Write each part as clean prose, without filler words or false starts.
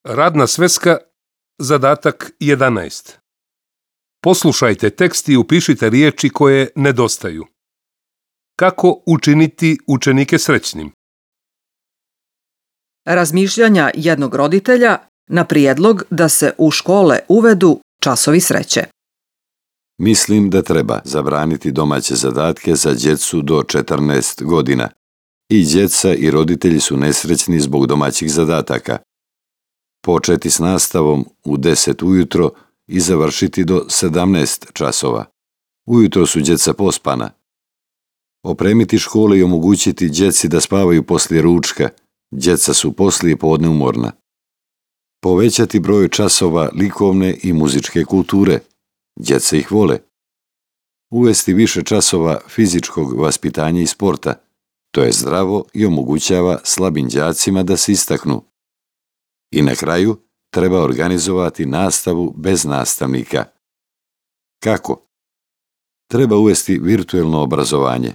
Radna sveska, zadatak 11. Poslušajte tekst i upišite riječi koje nedostaju. Kako učiniti učenike srećnim? Razmišljanja jednog roditelja na prijedlog da se u škole uvedu časovi sreće. Mislim da treba zabraniti domaće zadatke za djecu do 14 godina. I djeca i roditelji su nesrećni zbog domaćih zadataka. Početi s nastavom u 10 ujutro i završiti do 17 časova. Ujutro su djeca pospana. Opremiti škole i omogućiti djeci da spavaju poslije ručka. Djeca su poslije podne umorna. Povećati broj časova likovne i muzičke kulture. Djeca ih vole. Uvesti više časova fizičkog vaspitanja i sporta. To je zdravo i omogućava slabim đacima da se istaknu. I na kraju treba organizovati nastavu bez nastavnika. Kako? Treba uvesti virtuelno obrazovanje.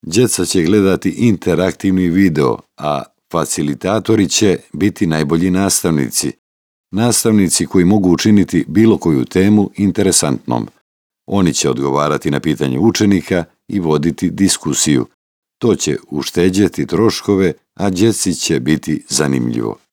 Djeca će gledati interaktivni video, a facilitatori će biti najbolji nastavnici. Nastavnici koji mogu učiniti bilo koju temu interesantnom. Oni će odgovarati na pitanje učenika i voditi diskusiju. To će ušteđeti troškove, a djeci će biti zanimljivo.